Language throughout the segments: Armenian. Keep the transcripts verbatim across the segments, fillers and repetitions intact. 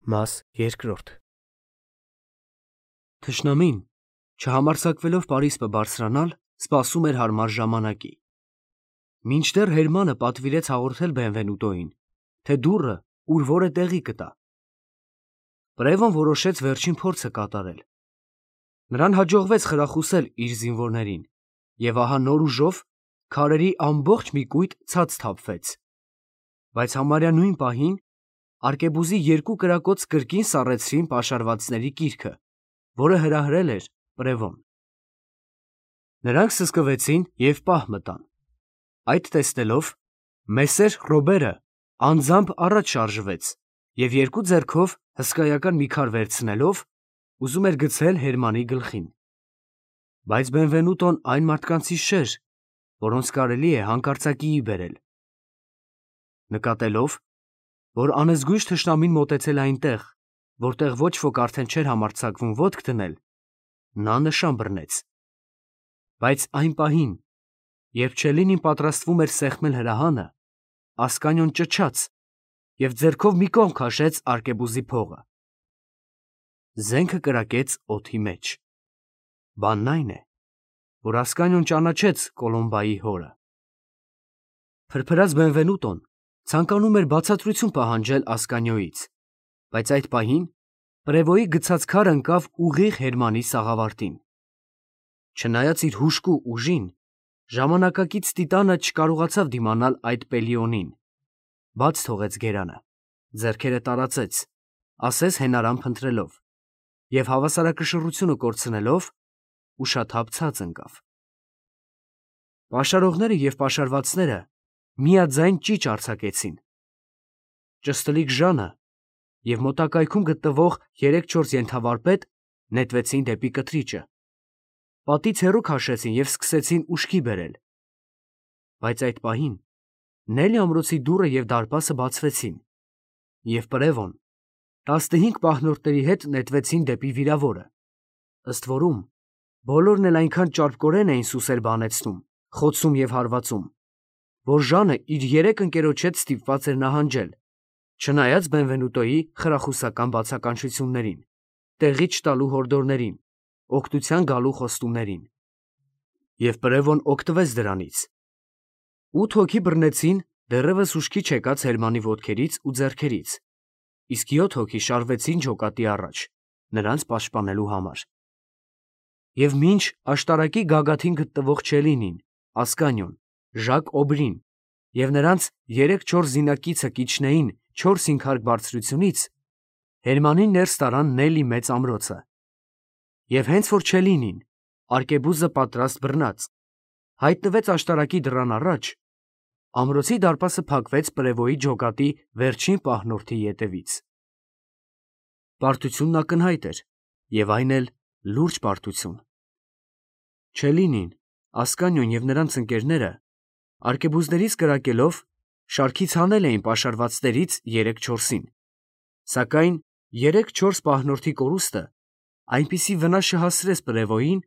Մաս երկրորդ Թշնամին, չհամարձակվելով Պարիսպը բարձրանալ, սպասում էր հարմար ժամանակի։ Մինչդեռ Հերմանը պատվիրեց հաղորդել Բենվենուտոյին, թե դուռը ուր որը տեղի կտա։ Պրևոն որոշեց վերջին փորձը կատարել։ Նրան հաջողվեց խրախուսել իր զինվորներին, և ահա նոր ուժով քարերի ամբողջ մի կույտ ցած թափվեց։ Բայց համարյա նույն պահին արկեբուզի երկու կրակոց կրկին սառեցրին պաշարվածների կիրքը, որը հրահրել էր պրևոն։ Նրանք սսկվեցին և պահ մտան։ Այդ տեսնելով, մեսեր Ռոբերը անձամբ առաջ շարժվեց և երկու ձեռքով հսկայական մի քար վերցնելով, ուզում էր գցել Հերմանի գլխին։ Բայց Բենվենուտոն այն մարդկանցից չէր, որոնց կարելի է հանկարծակիի բերել։ Նկատելով, որ անզգույշ թշնամին մոտեցել է այնտեղ, որտեղ ոչ ոք արդեն չէր համարձակվում ոտք դնել, նա նշան բռնեց։ Բայց այն պահին, երբ Չելինին պատրաստվում էր սեղմել հրահանը, Ասկանիոն ճչաց և ձեռքով մի կողմ քաշեց արկեբուզի փողը։ Զենքը կրակեց օդի մեջ։ Բանն այն է, որ Ասկանիոն ճանաչեց Կոլոմբայի հորը։ Փրփրած Բենվենուտոն ցանկանում էր բացատրություն պահանջել Ասկանիոյից, բայց այդ պահին պրևոյի գցած քարը ընկավ ուղիղ Հերմանի սաղավարտին։ Չնայած իր հուժկու ուժին, ժամանակակից տիտանը չկարողացավ դիմանալ այդ Պելիոնին, բաց թողեց գերանը, ձեռքերը տարածեց, ասես հենարան փնտրելով, և հավասարակշռությունը կորցնելով, ուշաթափ ցած ընկավ։ Պաշարողները և պաշարվածները միաձայն ճիչ արձակեցին։ Ճստլիկ Ժանը և մոտակայքում գտնվող երեք-չորս ենթավարպետ նետվեցին դեպի կթրիճը, պատից հեռու քաշեցին և սկսեցին ուշքի բերել։ Բայց այդ պահին Նելի ամրոցի դուռը և դարպասը բացվեցին, և պրևոն տասնհինգ պահնորդների հետ նետվեցին դեպի վիրավորը, ըստ որում բոլորն էլ այնքան ճարպկորեն էին սուսեր բանեցնում, խոցում և հարվածում, որ Ժանը իր երեք ընկերոջ հետ ստիպված էր նահանջել, չնայած Բենվենուտոյի խրախուսական բացականչություններին, տեղի չտալու հորդորներին, օգնության գալու խոստումներին։ Եվ պրևոն օգտվեց դրանից։ Ութ հոգի բռնեցին դեռևս ուշքի չեկած Հերմանի ոտքերից ու ձեռքերից, իսկ յոթ հոգի շարվեցին ջոկատի առաջ, նրանց պաշտպանելու համար։ Եվ մինչ աշտարակի գագաթին գտնվող Չելինին, Ասկանիոն, Ժակ Օբրին և նրանց երեք-չորս զինակիցը կիջնեին չորս-հինգ հարկ բարձրությունից, Հերմանին ներս տարան Նելի մեծ ամրոցը։ Եվ հենց որ Չելինին, արկեբուզը պատրաստ բռնած, հայտնվեց աշտարակի դռան առաջ, ամրոցի դարպասը փակվեց պրևոյի ջոկատի վերջին պահնորդի ետևից։ Պարտությունն ակնհայտ էր, և այն էլ լուրջ պարտություն։ Չելինին, Ասկանիոն և նրանց ընկերները արկեբուզներից կրակելով շարքից հանել էին պաշարվածներից երեք-չորսին, սակայն երեք-չորս պահնորդի կորուստը այնպիսի վնաս չհասցրեց պրևոյին,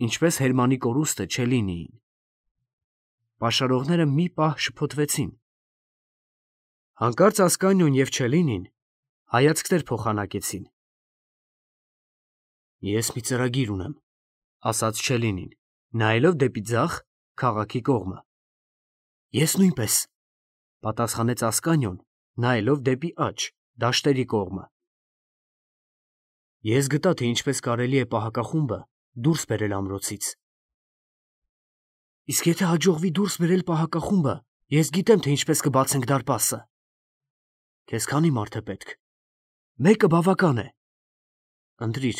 ինչպես Հերմանի կորուստը Չելինիին։ Պաշարողները մի պահ շփոթվեցին։ Հանկարծ Ասկանիոն և Չելինին հայացքներ փոխանակեցին։ «Ես մի ծրագիր ունեմ», ֊ ասաց Չելինին, նայելով դեպի ձախ, քաղաքի կողմը։ «Ես նույնպես», ֊ պատասխանեց Ասկանիոն, նայելով դեպի աջ, դաշտերի կողմը։ «Ես գտա, թե ինչպես կարելի է պահակախումբը դուրս բերել ամրոցից»։ «Իսկ եթե հաջողվի դուրս բերել պահակախումբը, ես գիտեմ, թե ինչպես կբացենք դարպասը»։ «Քեզ քանի՞ մարդ է պետք»։ «Մեկը բավական է»։ «Ընտրիր»։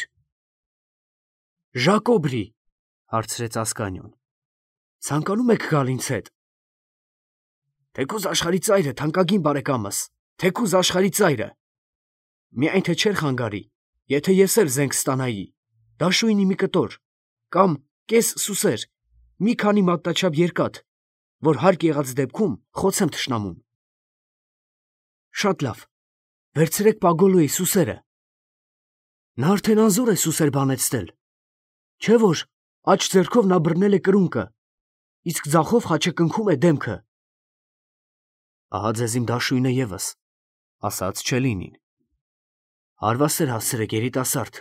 «Ժակ Օբրի», հարցրեց Ասկանիոն, «ցանկանում եք գալ ինձ հետ»։ «Թեկուզ աշխարհի ծայրը, թանկագին բարեկամս, թեկուզ աշխարհի ծայրը։ Միայն թե չէր խանգարի, եթե ես էլ զենք ստանայի, դաշույնի մի կտոր, կամ կես սուսեր, մի քանի մատնաչափ երկաթ, որ հարկ եղած դեպքում խոցեմ թշնամուն»։ «Շատ լավ, վերցրեք Պագոլոյի սուսերը։ Նա արդեն անզոր է սուսեր բանեցնել, չէ՞ որ աջ ձեռքով նա բռնել է կրունկը, իսկ ձախով խաչակնքում է դեմքը»։ «Ահա ձեզ իմ դաշույնը ևս», ֊ ասաց Չելինին։ Հարվասեր հասցրեք երիտասարդ,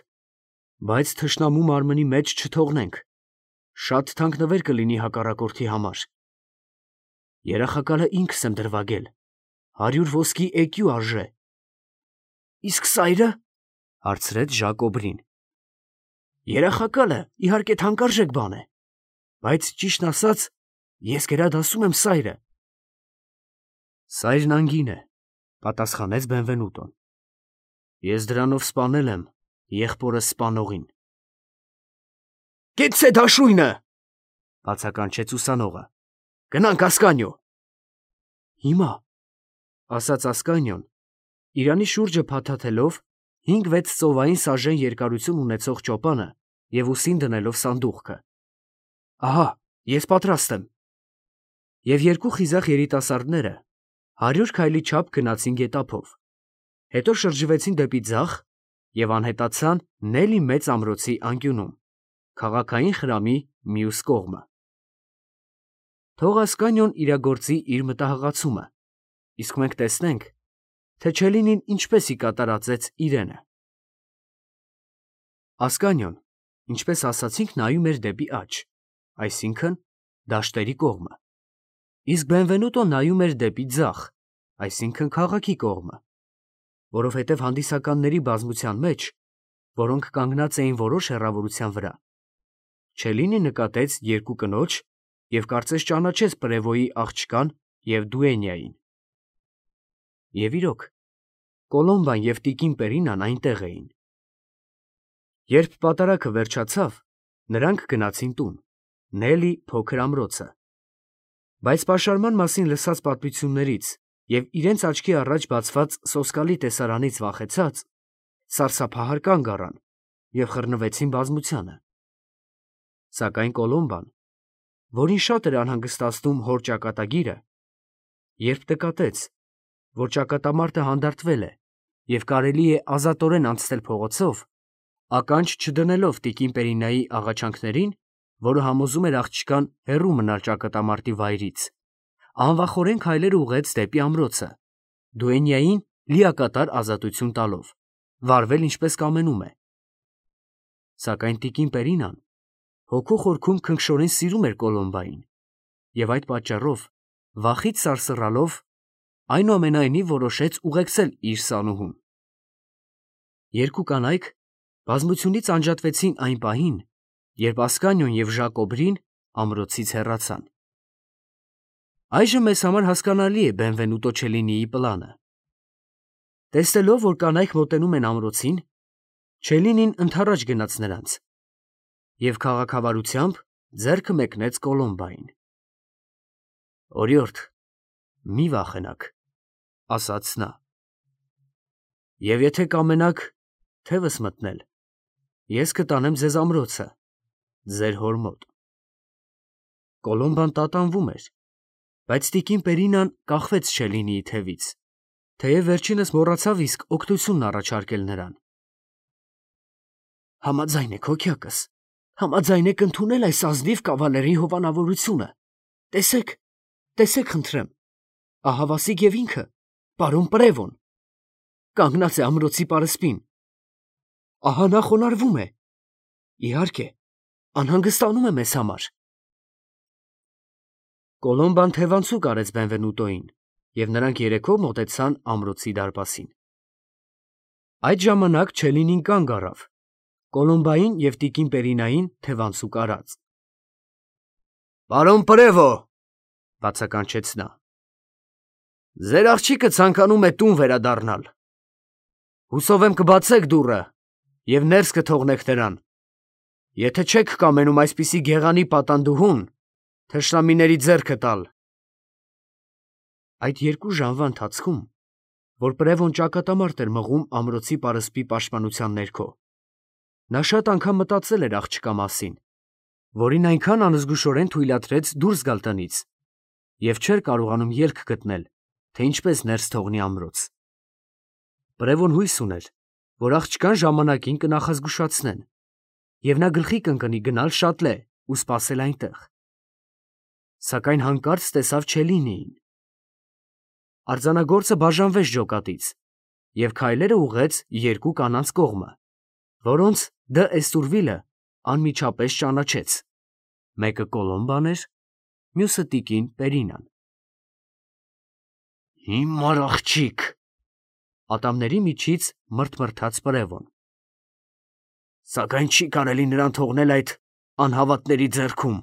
բայց թշնամու մարմնի մեջ չթողնենք. շատ թանկ նվեր կլինի հակառակորդի համար։ Երախակալը ինքս եմ դրվագել, հարյուր ոսկի էկյու արժե։ Իսկ սայրը, հարցրեց Ժակոբրին։ Երախակալը իհարկե թանկարժեք բան է, բայց ճիշտն ասած, ես գերադասում եմ սայրը։ Սայրն անգին է, պատասխանեց Բենվենուտոն։ Ես դրանով սպանել եմ եղբորս սպանողին։ Կեցցե դաշույնը, բացականչեց ուսանողը։ Գնանք Ասկանիո։ Հիմա, ասաց Ասկանիոն, իրանի շուրջը փաթաթելով հինգ֊վեց ծովային սաժեն երկարություն ունեցող ճոպանը և ուսին դնելով սանդուղքը։ Ահա, ես պատրաստ եմ։ Եվ երկու խիզախ երիտասարդները հարյուր քայլի չափ գնացին գետափով, հետո շրջվեցին դեպի ձախ և անհետացան Նելի մեծ ամրոցի անկյունում, քաղաքային խրամի մյուս կողմը։ Թող Ասկանիոն իրագործի իր մտահղացումը, իսկ մենք տեսնենք, թե Չելինին ինչպես ի կատար ածեց իրենը։ Ասկանիոն, ինչպես ասացինք, նայում էր դեպի աջ, այսինքն դաշտերի կողմը, իսկ Բենվենուտոն նայում էր դեպի ձախ, այսինքն քաղաքի կողմը, որովհետև հանդիսականների բազմության մեջ, որոնք կանգնած էին որոշ հեռավորության վրա, Չելինի նկատեց երկու կնոջ և կարծես ճանաչեց Պրևոյի աղջկան և Դուենյային։ Եվ իրոք, Կոլոմբան և տիկին Պերինան այնտեղ էին։ Երբ պատարագը վերջացավ, նրանք գնացին տուն, Նելի փոքր ամրոցը։ Բայց պաշարման մասին լսած պատմություններից և իրենց աչքի առաջ բացված սոսկալի տեսարանից վախեցած, սարսափահար կանգ առան և խռնվեցին բազմությանը։ Սակայն Կոլոմբան, որին շատ էր անհանգստացնում հոր ճակատագիրը, երբ նկատեց, որ ճակատամարտը հանդարտվել է և կարելի է ազատորեն անցնել փողոցով, ականջ չդնելով տիկին Պերինայի աղաչանքներին, որը համոզում էր աղջկան հեռու մնալ ճակատամարտի վայրից, անվախորեն քայլեր ուղղեց դեպի ամրոցը, Դուենյային լիակատար ազատություն տալով, վարվել ինչպես կամենում է։ Սակայն տիկին Պերինան հոգու խորքում քնքշորեն սիրում էր Կոլոմբային և այդ պատճառով, վախից սարսռալով, այնուամենայնիվ որոշեց ուղեկցել իր սանուհուն։ Երկու կանայք բազմությունից անջատվեցին այն պահին, երբ Ասկանիոն և Ժակոբրին ամրոցից հեռացան։ Այժմ մեզ համար հասկանալի է Բենվենուտո Չելինիի պլանը։ Տեսնելով, որ կանայք մոտենում են ամրոցին, Չելինին ընդառաջ գնաց նրանց և քաղաքավարությամբ ձեռքը մեկնեց Կոլոմբային։ Օրիորդ, մի վախենաք, ասաց նա, և եթե կամենաք թևս մտնել, ես կտանեմ ձեզ ամրոցը, ձեր հոր մոտ։ Կոլոմբան տատանվում էր, բայց տիկին Պերինան կախվեց Չելինիի թևից, թեև վերջինս մոռացավ իսկ օգնությունն առաջարկել նրան։ Համաձայն եք, հոգյակս, համաձայն եք ընդունել այս ազնիվ կավալերի հովանավորությունը։ Տեսեք, տեսեք խնդրեմ, ահավասիկ և ինքը, պարոն Պրևոն, կանգնած է ամրոցի պարսպին։ Ահա նա խոնարհվում է, իհարկե, անհանգստանում է մեզ համար։ Կոլոմբան թևանցուկ արեց Բենվենուտոին, և նրանք երեքով մոտեցան ամրոցի դարպասին։ Այդ ժամանակ Չելինին կանգ առավ, Կոլոմբային և տիկին Պերինային թևանցուկ արած։ Պարոն Պրևո, բացականչեց նա, ձեր աղջիկը ցանկանում է տուն վերադառնալ։ Հուսով եմ կբացեք դուռը և ներս կթողնեք նրան։ Եթե չեք կամենում այսպիսի գեղանի պատանդուհուն թշնամիների ձեռքը տալ։ Այդ երկու ժամվա ընթացքում, որ Պրևոն ճակատամարտ էր մղում ամրոցի պարսպի պաշտպանության ներքո, նա շատ անգամ մտածել էր աղջկա մասին, որին այնքան անզգուշորեն թույլատրեց դուրս գալ տնից և չէր կարողանում ելք գտնել, թե ինչպես ներս թողնի ամրոց։ Պրևոն հույս ուներ, որ աղջկան ժամանակին կնախազգուշացնեն, և նա գլխի կընկնի գնալ շատլե ու սպասել այնտեղ։ Սակայն հանկարծ տեսավ Չելինիին։ Արձանագործը բաժանվեց ջոկատից և քայլերը ուղղեց երկու կանանց կողմը, որոնց Դ. Էստուրվիլը անմիջապես ճանաչեց. մեկը Կոլոմբան էր, մյուսը տիկին Պերինան։ Հիմար աղջիկ, ատամների միջից մրթմրթաց Պրևոն։ Սակայն չի կարելի նրան թողնել այդ անհավատների ձեռքում։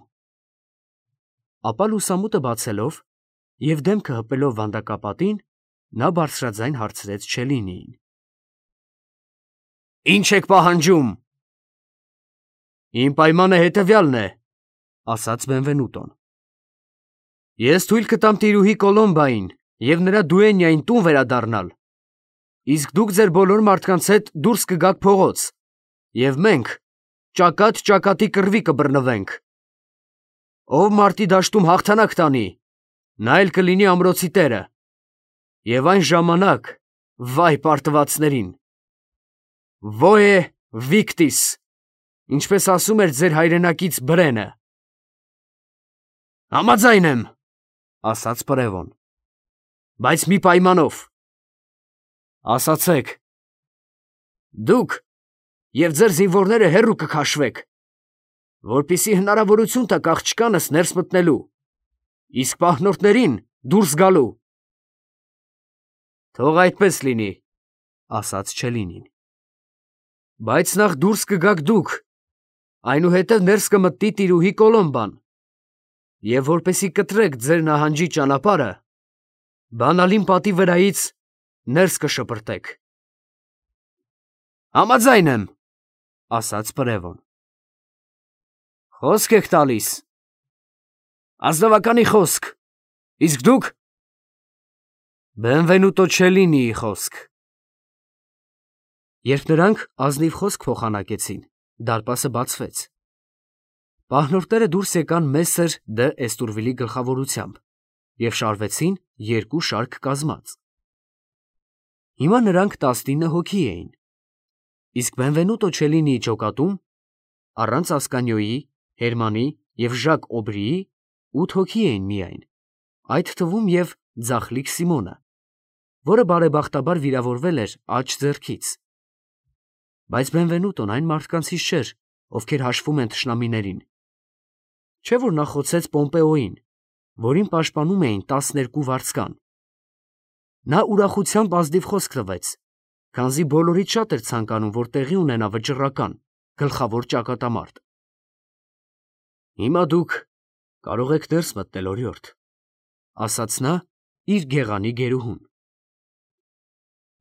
Ապա լուսամուտը բացելով և դեմքը հպելով վանդակապատին, նա բարձրաձայն հարցրեց Չելինիին. Ի՞նչ եք պահանջում։ Իմ պայմանը հետևյալն է, ասաց Բենվենուտոն. Ես թույլ կտամ տիրուհի Կոլոմբային և նրա դուենյային տուն վերադառնալ, իսկ դուք ձեր բոլոր մարդկանց հետ դուրս կգաք փողոց, և մենք ճակատ ճակատի կռվի կբռնվենք։ Ով մարտի դաշտում հաղթանակ տանի, նա էլ կլինի ամրոցի տերը, և այն ժամանակ, վայ պարտվածներին, Voe victis, ինչպես ասում էր ձեր հայրենակից Բրենը։ Համաձայն եմ, ասաց Պրևոն, բայց մի պայմանով։ Ասացեք։ Դուք և ձեր զինվորները հեռու կքաշվեք, որպեսզի հնարավորություն տաք աղջկանս ներս մտնելու, իսկ պահնորդներին դուրս գալու։ Թող այդպես լինի, ասաց Չելինին։ Բայց նախ դուրս կգաք դուք, այնուհետև ներս կմտնի տիրուհի Կոլոմբան, և որպեսզի կտրեք ձեր նահանջի ճանապարհը, բանալին պատի վրայից ներս կշպրտեք։ Համաձայն եմ, ասաց Պրևոն։ Խոսք եք տալիս։ Ազնվականի խոսք, իսկ դուք։ Բենվենուտո Չելինիի խոսք։ Երբ նրանք ազնիվ խոսք փոխանակեցին, դարպասը բացվեց։ Պահնորդները դուրս եկան Մեսսեր Դ. Էստուրվիլի գլխավորությամբ և շարվեցին երկու շարք կազմած։ Հիմա նրանք տասնինը հոգի էին, իսկ Բենվենուտո Չելինիի ջոկատում, առանց Ասկանիոյի, Հերմանի և Ժակ Օբրիի, ութ հոգի էին միայն, այդ թվում և ձախլիկ Սիմոնը, որը բարեբախտաբար վիրավորվել էր աջ ձեռքից։ Բայց Բենվենուտոն այն մարդկանցից չէր, ովքեր հաշվում են թշնամիներին։ Չէ՞ որ նա խոցեց Պոմպեոյին, որին պաշտպանում էին տասներկու վարձկան։ Նա ուրախությամբ ազնիվ խոսք տվեց, քանզի բոլորից շատ էր ցանկանում, որ տեղի ունենա վճռական, գլխավոր ճակատամարտ։ Հիմա դուք կարող եք ներս մտնել, օրիորդ, ասաց նա իր գեղանի գերուհուն։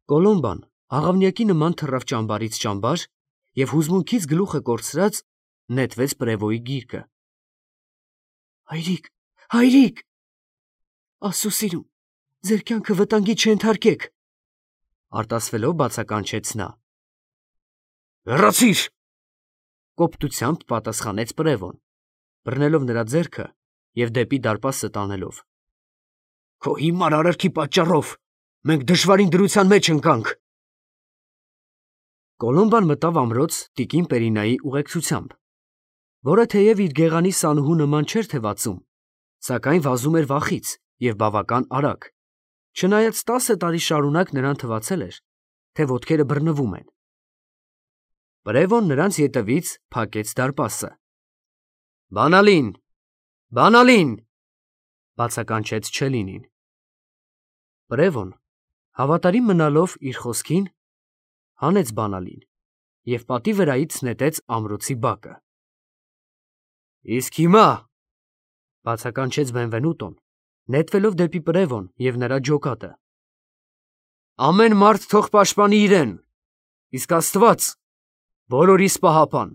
Կոլոմբան աղավնյակի նման թռավ ճամբարից ճամբար և հուզմունքից գլուխը կորցրած նետվեց Պրևոյի գիրկը։ Հայրիկ, հայրիկ, Աստծո սիրուն, ձեր կյանքը վտանգի չենթարկեք, արտասվելով բացականչեց նա։ Հեռացիր, կոպտությամբ պատասխանեց Պրևոն, բռնելով նրա ձեռքը և դեպի դարպասը տանելով։ Քո հիմար արարքի պատճառով մենք դժվարին դրության մեջ ընկանք։ Կոլոմբան մտավ ամրոց տիկին Պերինայի ուղեկցությամբ, որը թեև իր գեղանի սանուհու նման չէր թևածում, սակայն վազում էր վախից և բավական արագ, չնայած տասը տարի շարունակ նրան թվացել էր, թե ոտքերը բռնվում են։ Պրևոն նրանց ետևից փակեց դարպասը։ Բանալին, բանալին, բացականչեց Չելինին։ Պրևոն, հավատարիմ մնալով իր խոսքին, հանեց բանալին և պատի վրայից նետեց ամրոցի բակը։ Իսկ հիմա, բացականչեց Բենվենուտոն, նետվելով դեպի Պրևոն և նրա ջոկատը, ամեն մարդ թող պաշտպանի իրեն, իսկ Աստված բոլորիս պահապան։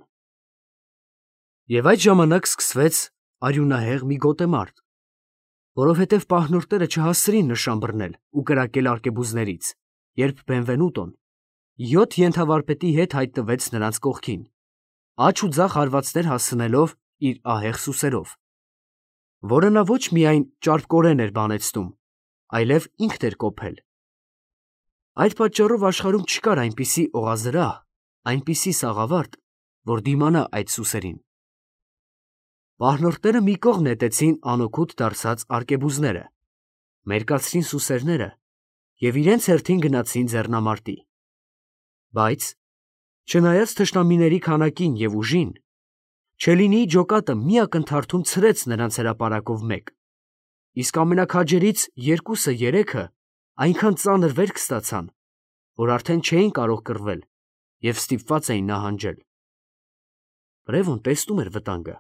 Եվ այդ ժամանակ սկսվեց արյունահեղ մի գոտեմարտ, որովհետև պահնորդները չհասցրին նշան բռնել ու կրակել արկեբուզներից, երբ Բենվենուտոն յոթ ենթավարպետի հետ հայտնվեց նրանց կողքին, աջ ու ձախ հարվածներ հասցնելով իր ահեղ սուսերով, որը նա ոչ միայն ճարպկորեն էր բանեցնում, այլև ինքն էր կոփել։ Այդ պատճառով աշխարհում չկար այնպիսի օղազրահ, այնպիսի սաղավարտ, որ դիմանա այդ սուսերին։ Պահնորդները մի կողմ նետեցին անօգուտ դարձած արկեբուզները, մերկացրին սուսերները և իրենց հերթին գնացին ձեռնամարտի։ Բայց, չնայած թշնամիների քանակին և ուժին, Չելինիի ջոկատը մի ակնթարթում ցրեց նրանց հրապարակով մեկ, իսկ ամենաքաջերից երկուսը երեքը այնքան ծանր վերք ստացան, որ արդեն չէին կարող կռվել և ստիպված էին նահանջել։ Բրևոն տեսնում էր վտանգը,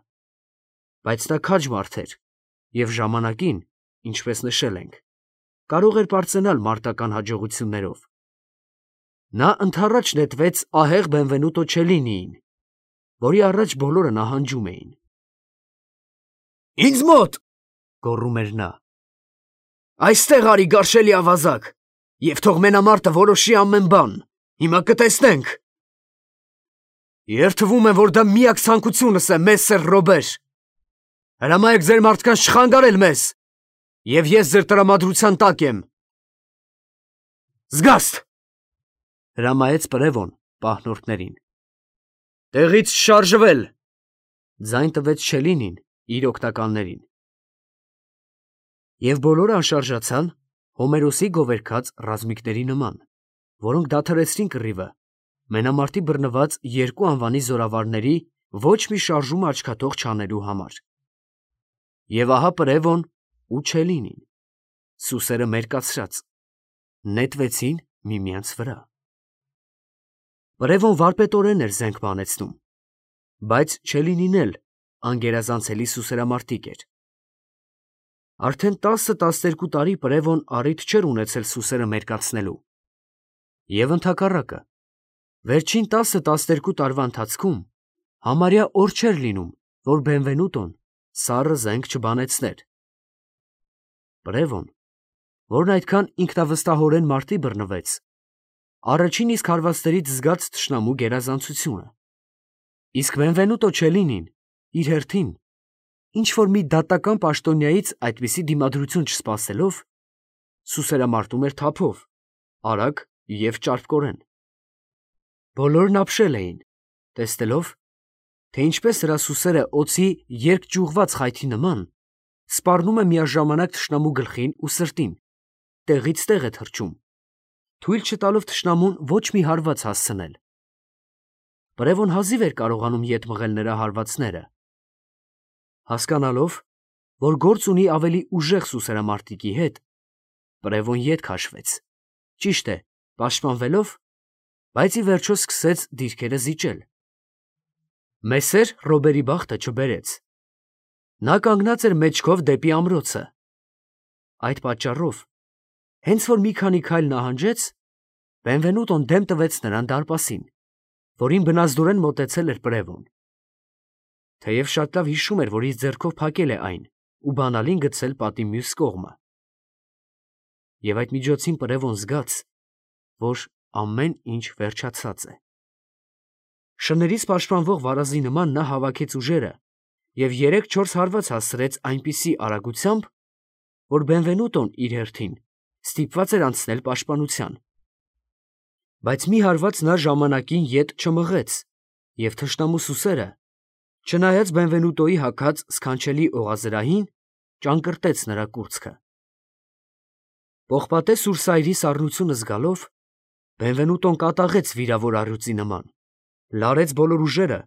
բայց նա քաջ մարդ էր և ժամանակին, ինչպես նշել ենք, կարող էր պարծենալ մարտական հաջողություններով։ Նա ընդառաջ նետվեց ահեղ Բենվենուտո Չելինիին, որի առաջ բոլորը նահանջում էին։ «Ինձ մոտ», գոռում էր նա, «այստեղ արի, գարշելի ավազակ, և թող մենամարտը որոշի ամեն բան, հիմա կտեսնենք»։ «Երդվում եմ, որ դա միակ ցանկությունս է, մեսսեր Ռոբեր. հրամայեք ձեր մարդկանց չխանգարել մեզ, և ես ձեր տրամադրության տակ եմ»։ «Զգաստ», հրամայեց Պրևոն պահնորդներին։ «Տեղից շարժվել», ձայն տվեց Չելինին իր օգնականներին։ Եվ բոլորը անշարժացան Հոմերոսի գովերգած ռազմիկների նման, որոնք դադարեցրին կռիվը մենամարտի բռնված երկու անվանի զորավարների ոչ մի շարժում աչքաթող չանելու համար։ Եվ ահա Պրևոն ու Չելինին, սուսերը մերկացրած, նետվեցին միմյանց վրա։ Պրևոն վարպետորեն էր զենք բանեցնում, բայց Չելինին էլ անգերազանցելի սուսերամարտիկ էր։ Արդեն տասը֊տասներկու տարի Պրևոն առիթ չէր ունեցել սուսերը մերկացնելու։ Եվ ընդհակառակը, վերջին տասը֊տասներկու տարվա ընթացքում համարյա օր չէր լինում, որ Բենվենուտոն սառը զենք չբանեցներ։ Պրևոն, որն այդքան ինքնավստահորեն մարտի բռնվեց, առաջին իսկ հարվածներից զգաց թշնամու գերազանցությունը, իսկ Բենվենուտո Չելինին իր հերթին, ինչ-որ մի դատական պաշտոնյայից այդպիսի դիմադրություն չսպասելով, սուսերամարտում էր թափով, արագ և ճարպկորեն։ Բոլորն ապշել էին, տեսնելով, թե ինչպես նրա սուսերը օձի երկճյուղված խայթի նման սպառնում է միաժամանակ թշնամու գլխին ու սրտին, տեղից տեղ է թռչում, թույլ չտալով թշնամուն ոչ մի հարված հասցնել։ Պրևոն հազիվ էր կարողանում ետ մղել նրա հարվածները։ Հասկանալով, որ գործ ունի ավելի ուժեղ սուսերամարտիկի հետ, Պրևոն ետ քաշվեց, ճիշտ է, պաշտպանվելով, բայց ի վերջո սկսեց դիրքերը զիջել։ Մեսսեր Ռոբերի բախտը չբերեց։ Նա կանգնած էր մեջքով դեպի ամրոցը։ Այդ պատճառով, հենց որ մի քանի քայլ նահանջեց, Բենվենուտոն դեմ տվեց նրան դարպասին, որին բնազդորեն մոտեցել էր Պրևոն։ Թեև շատ լավ հիշում էր, որ իր ձեռքով փակել է այն ու բանալին գցել պատի մյուս կողմը։ Եվ այդ միջոցին Պրևոն զգաց, որ ամեն ինչ վերջացած է։ Շներից պաշտպանվող վարազի նման նա հավաքեց ուժերը և երեք-չորս հարված հասցրեց այնպիսի արագությամբ, որ Բենվենուտոն իր հերթին ստիպված էր անցնել պաշտպանության։ Բայց մի հարված նա ժամանակին ետ չմղեց, և թշնամու սուսերը, չնայած Բենվենուտոյի հագած սքանչելի օղազրահին, ճանկռտեց նրա կուրծքը։ Պողպատե սուրսայրի սառնությունը զգալով, Բենվենուտոն կատաղեց վիրավոր առյուծի նման, լարեց բոլոր ուժերը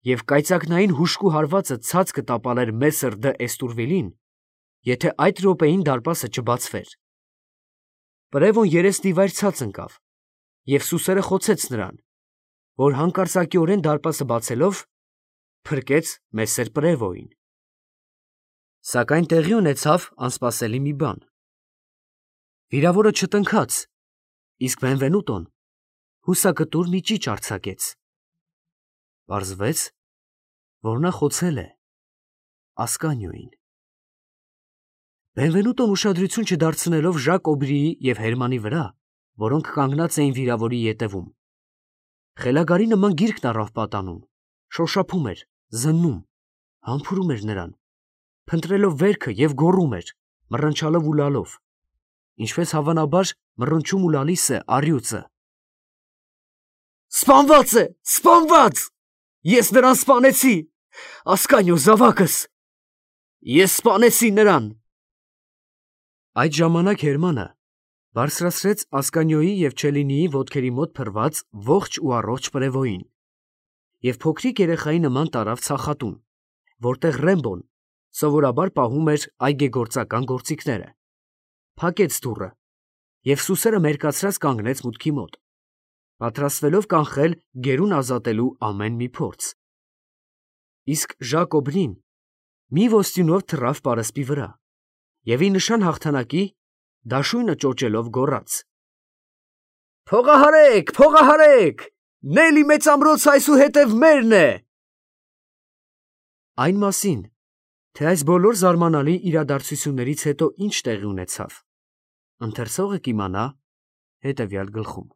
և կայծակնային հուժկու հարվածը ցած կտապալեր մեսսր դ'Էստուրվիլին, եթե այդ րոպեին դարպասը չբացվեր։ Պրևոն երեսնիվայր ցած ընկավ և սուսերը խոցեց նրան, որ հանկարծակիորեն դարպասը բացելով, փրկեց մեսսեր Պրևոյին։ Սակայն տեղի ունեցավ անսպասելի մի բան։ Վիրավորը չտնքաց, իսկ Բենվենուտոն հուսակտուր մի ճիչ արձակեց։ Պարզվեց, որ նա խոցել է Ասկանիոյին։ Բենվենուտոն ուշադրություն չդարձնելով Ժակ Օբրիի և Հերմանի վրա, որոնք կանգնած էին վիրավորի ետևում, խելագարի նման գիրկն առավ պատանում, շոշափում էր, զննում, համբուրում էր նրան, փնտրելով վերքը և գոռում էր, մռնչալով ու լալով, ինչպես հավանաբար մռնչում ու լալիս է առյուծը։ «Սպանված է, սպանված, ես նրան սպանեցի, Ասկանիո զավակս, ես սպանեցի նրան»։ Այդ ժամանակ Հերմանը, Բարձրացրեց Ասկանյոյի և Չելինիի ոտքերի մոտ փռված ողջ ու առողջ պրևոյին և փոքրիկ երեխայի նման տարավ ցախատուն, որտեղ Ռեմբոն սովորաբար պահում էր այգեգործական գործիքները, փակեց դուռը և սուսերը մերկացրած կանգնեց մուտքի մոտ, պատրաստվելով կանխել գերուն ազատելու ամեն մի փորձ։ Իսկ Ժակոբնին մի ոստյունով թռավ պարսպի վրա և ի նշան հաղթանակի դաշույնը ճոճելով գոռաց. «Փողահարեք, փողահարեք, Նելի մեծամրոցը այսուհետև մերն է»։ Այն մասին, թե այս բոլոր զարմանալի իրադարձություններից հետո ինչ տեղի ունեցավ, ընթերցողը կիմանա հետևյալ գլխում։